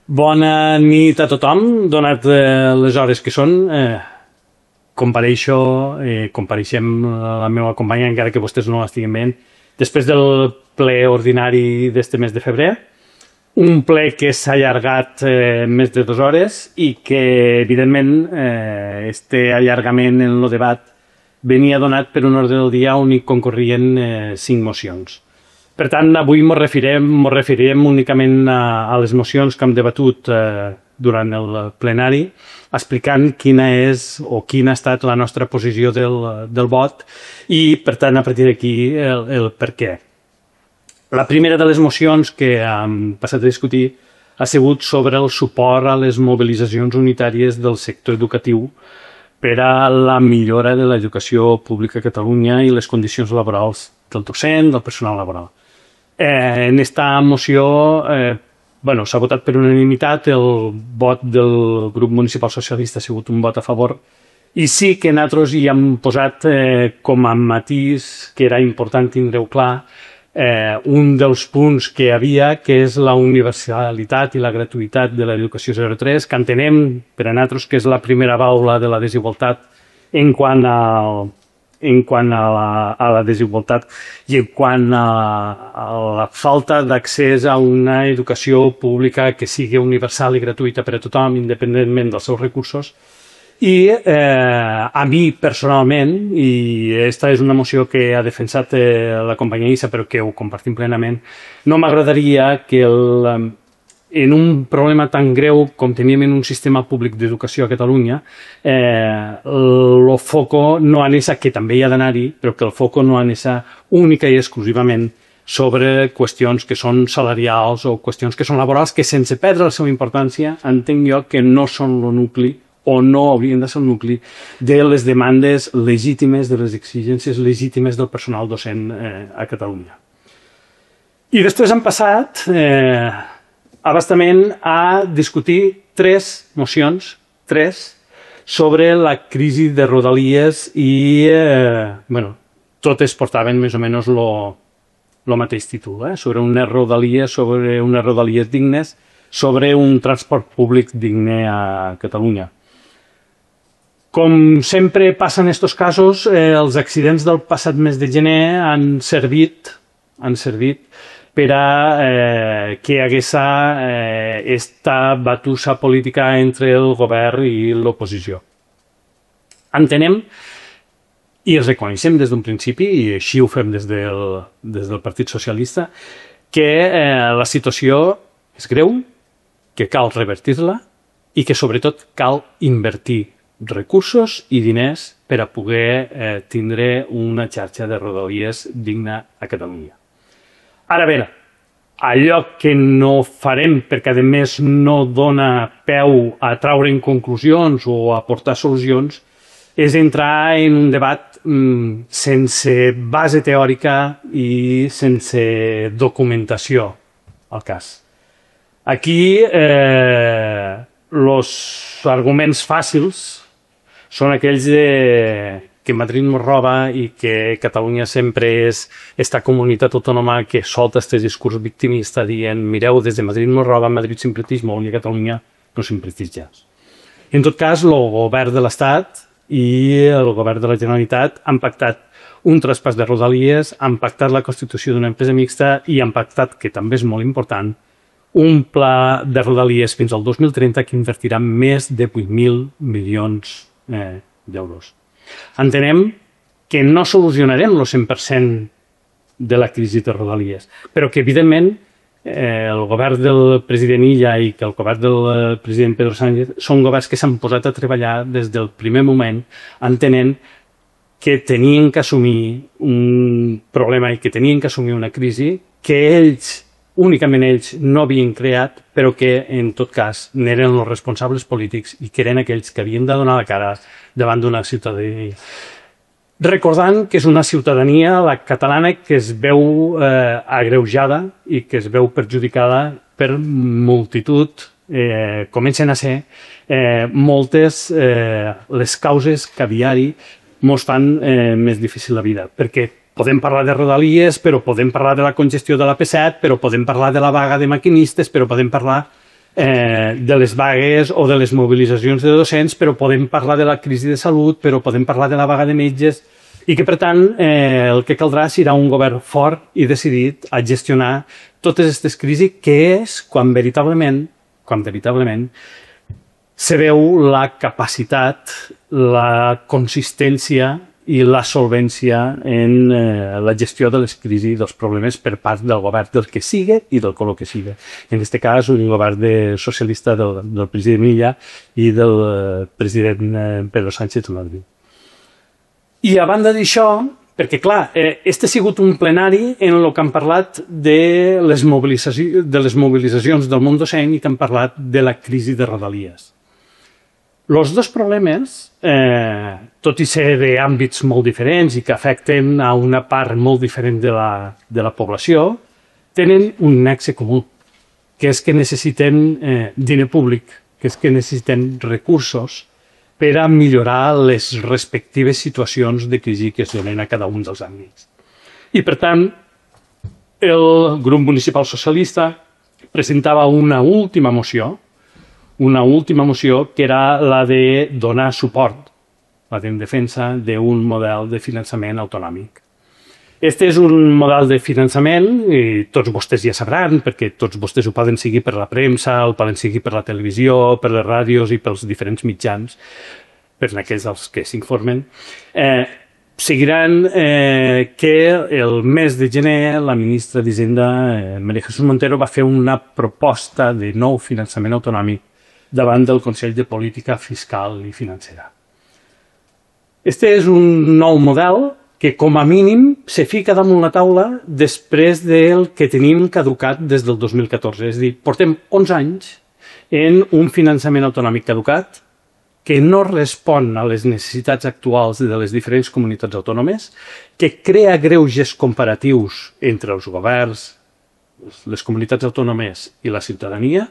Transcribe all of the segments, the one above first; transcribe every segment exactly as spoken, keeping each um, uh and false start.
Bona nit a tothom, donat eh, les hores que són. Eh, compareixo, eh, compareixem la meva companya, encara que vostès no l'estiguin veient, després del ple ordinari d'este mes de febrer, un ple que s'ha allargat eh, més de dues hores i que, evidentment, eh, este allargament en el debat venia donat per un ordre del dia on hi concorrien eh, cinc mocions. Per tant, avui ens referirem, mos referirem únicament a, a les mocions que hem debatut eh, durant el plenari, explicant quina és o quina ha estat la nostra posició del, del vot i, per tant, a partir d'aquí el, el per què. La primera de les mocions que hem passat a discutir ha sigut sobre el suport a les mobilitzacions unitàries del sector educatiu per a la millora de l'educació pública a Catalunya i les condicions laborals del docent, del personal laboral. Eh, en esta moció eh, bueno, s'ha votat per unanimitat, el vot del grup municipal socialista ha sigut un vot a favor i sí que nosaltres hi hem posat eh, com a matís que era important tindre-ho clar eh, un dels punts que hi havia, que és la universalitat i la gratuïtat de l'educació zero tres, que entenem per a nosaltres que és la primera baula de la desigualtat en quant al en quant a la, a la desigualtat i en quant a, a la falta d'accés a una educació pública que sigui universal i gratuïta per a tothom, independentment dels seus recursos. I eh, a mi, personalment, i aquesta és una moció que ha defensat eh, la companya Issa, però que ho compartim plenament, no m'agradaria que el, en un problema tan greu com teníem en un sistema públic d'educació a Catalunya, eh, el foco no anés a, que també hi ha d'anar-hi, però que el foco no anés a única i exclusivament sobre qüestions que són salarials o qüestions que són laborals, que sense perdre la seva importància, entenc jo que no són el nucli o no haurien de ser el nucli de les demandes legítimes, de les exigències legítimes del personal docent eh, a Catalunya. I després han passat eh, abastament a discutir tres mocions, tres, sobre la crisi de Rodalies i, eh, bueno, totes portaven més o menys lo, lo mateix títol, eh? Sobre unes Rodalies, sobre unes Rodalies dignes, sobre un transport públic digne a Catalunya. Com sempre passa en aquests casos, eh, els accidents del passat mes de gener han servit, han servit per a eh, que hi hagués eh, esta batussa política entre el govern i l'oposició. Entenem i reconeixem des d'un principi, i així ho fem des del, des del Partit Socialista, que eh, la situació és greu, que cal revertir-la i que sobretot cal invertir recursos i diners per a poder eh, tindre una xarxa de rodalies digna a Catalunya. Ara bé, allò que no farem perquè a més no dona peu a traure en conclusions o a aportar solucions és entrar en un debat mm, sense base teòrica i sense documentació al cas. Aquí eh, els arguments fàcils són aquells de, que Madrid nos roba i que Catalunya sempre és esta comunitat autònoma que solta aquest discurs victimista dient mireu, des de Madrid nos roba, Madrid sempre tix molt i a Catalunya no sempre tix ja. En tot cas, el govern de l'Estat i el govern de la Generalitat han pactat un traspàs de Rodalies, han pactat la constitució d'una empresa mixta i han pactat, que també és molt important, un pla de Rodalies fins al dos mil trenta que invertirà més de vuit mil milions eh, d'euros. Entenem que no solucionarem el cent per cent de la crisi de Rodalies, però que, evidentment, eh, el govern del president Illa i que el govern del president Pedro Sánchez són governs que s'han posat a treballar des del primer moment, entenent que tenien que assumir un problema i que tenien que assumir una crisi que ells, únicament ells, no havien creat, però que, en tot cas, n'eren els responsables polítics i que eren aquells que havien de donar la cara davant d'una ciutadania. Recordant que és una ciutadania, la catalana, que es veu eh, agreujada i que es veu perjudicada per multitud, eh, comencen a ser eh, moltes eh, les causes que a diari mos fan eh, més difícil la vida, perquè podem parlar de Rodalies, però podem parlar de la congestió de la P set, però podem parlar de la vaga de maquinistes, però podem parlar eh, de les vagues o de les mobilitzacions de docents, però podem parlar de la crisi de salut, però podem parlar de la vaga de metges, i que, per tant, eh, el que caldrà serà un govern fort i decidit a gestionar totes aquestes crisis, que és quan veritablement, quan veritablement se veu la capacitat, la consistència i la solvència en eh, la gestió de les crisis i dels problemes per part del govern del que siga i del color que siga. En aquest cas, el govern de socialista del, del president Illa i del eh, president eh, Pedro Sánchez Madrid. I a banda d'això, perquè clar, eh, este ha sigut un plenari en el que han parlat de les, mobilitzaci de les mobilitzacions del món docent i que han parlat de la crisi de Rodalies. Els dos problemes, eh, tot i ser d'àmbits molt diferents i que afecten a una part molt diferent de la, de la població, tenen un nexe comú, que és que necessiten eh, diner públic, que és que necessiten recursos per a millorar les respectives situacions de crisi que es donen a cada un dels àmbits. I, per tant, el grup municipal socialista presentava una última moció, una última moció que era la de donar suport, la de defensa d'un model de finançament autonòmic. Este és un model de finançament, i tots vostès ja sabran, perquè tots vostès ho poden seguir per la premsa, el poden seguir per la televisió, per les ràdios i pels diferents mitjans, per aquells dels que s'informen. Eh, seguiran eh, que el mes de gener la ministra d'Hisenda, eh, María Jesús Montero, va fer una proposta de nou finançament autonòmic davant del Consell de Política Fiscal i Financera. Este és un nou model que, com a mínim, se fica damunt la taula després del que tenim caducat des del dos mil catorze. És a dir, portem onze anys en un finançament autonòmic caducat que no respon a les necessitats actuals de les diferents comunitats autònomes, que crea greuges comparatius entre els governs, les comunitats autònomes i la ciutadania,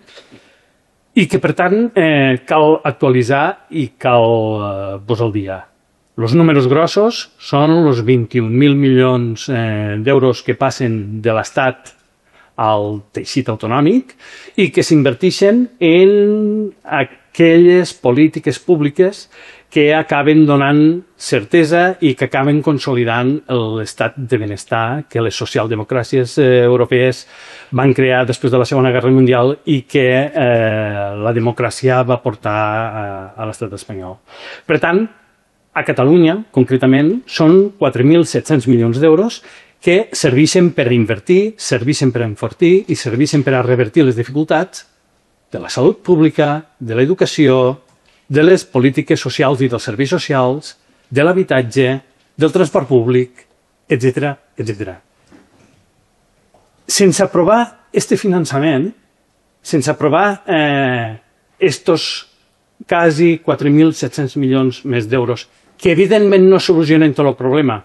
i que, per tant, eh, cal actualitzar i cal eh, posar al dia. Els números grossos són els vint-i-un mil milions eh, d'euros que passen de l'Estat al teixit autonòmic i que s'inverteixen en aquelles polítiques públiques que acaben donant certesa i que acaben consolidant l'estat de benestar que les socialdemocràcies eh, europees van crear després de la Segona Guerra Mundial i que eh, la democràcia va portar a, a l'estat espanyol. Per tant, a Catalunya, concretament, són quatre mil set-cents milions d'euros que serveixen per invertir, serveixen per enfortir i serveixen per a revertir les dificultats de la salut pública, de l'educació, de les polítiques socials i dels serveis socials, de l'habitatge, del transport públic, etcètera, etcètera. Sense aprovar este finançament, sense aprovar eh, estos quasi quatre mil set-cents milions més d'euros, que evidentment no solucionen tot el problema,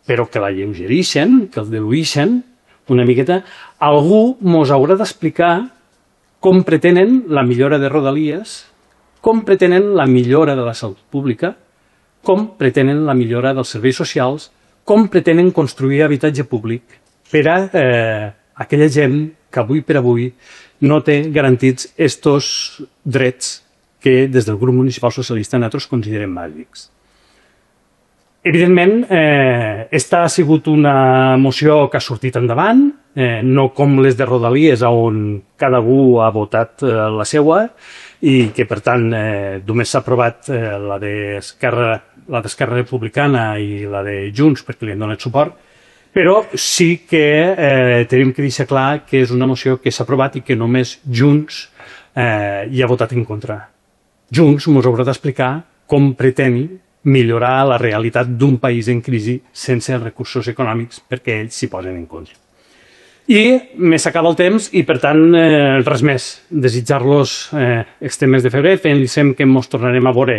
però que l'alleugereixen, que el dilueixen una miqueta, algú mos haurà d'explicar com pretenen la millora de Rodalies, com pretenen la millora de la salut pública, com pretenen la millora dels serveis socials, com pretenen construir habitatge públic per a eh, aquella gent que avui per avui no té garantits estos drets que des del grup municipal socialista nosaltres considerem bàsics. Evidentment, eh, esta ha sigut una moció que ha sortit endavant, eh, no com les de Rodalies, on cada un ha votat eh, la seua, i que, per tant, eh, només s'ha aprovat eh, la d'Esquerra la d'Esquerra Republicana i la de Junts perquè li han donat suport, però sí que eh, tenim que deixar clar que és una moció que s'ha aprovat i que només Junts eh, hi ha votat en contra. Junts ens haurà d'explicar com pretén millorar la realitat d'un país en crisi sense recursos econòmics perquè ells s'hi posen en contra. I me s'acaba el temps i, per tant, eh, res més. Desitjar-los eh, este mes de febrer, pensem que ens tornarem a veure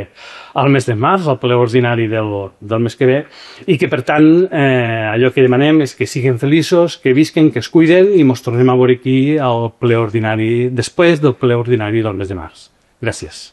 al mes de març, al ple ordinari del, del mes que ve, i que, per tant, eh, allò que demanem és que siguin feliços, que visquen, que es cuiden, i ens tornem a veure aquí al ple ordinari, després del ple ordinari del mes de març. Gràcies.